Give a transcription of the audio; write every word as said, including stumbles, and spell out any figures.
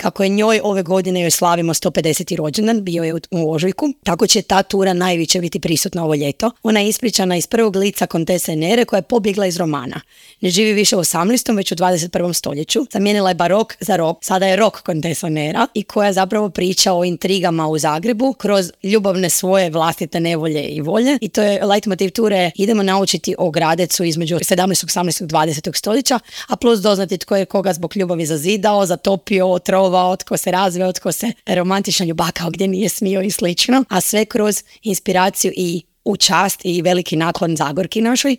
kako je njoj ove godine joj slavimo sto pedeseti rođendan, bio je u, u ožujku, tako će ta tura najviše biti prisutna ovo ljeto. Ona je ispričana iz prvog lica Kontesa Enere koja je pobjegla iz romana. Ne živi više u osamnaestom već u dvadeset prvom stoljeću. Zamijenila je barok za rok, sada je rok Kontesa Enera i koja zapravo priča o intrigama u Zagrebu kroz ljubavne svoje vlastite nevolje i volje. I to je leitmotiv ture, idemo naučiti o Gradecu između sedamnaestog, osamnaestog, dvadesetog stoljeća, a plus doznati tko je koga zbog ljubavi zazidao, zatopio, otrovao, tko se razveo, tko se romantično ljubakao gdje nije smio i slično, a sve kroz inspiraciju i u čast i veliki naklon Zagorki našoj,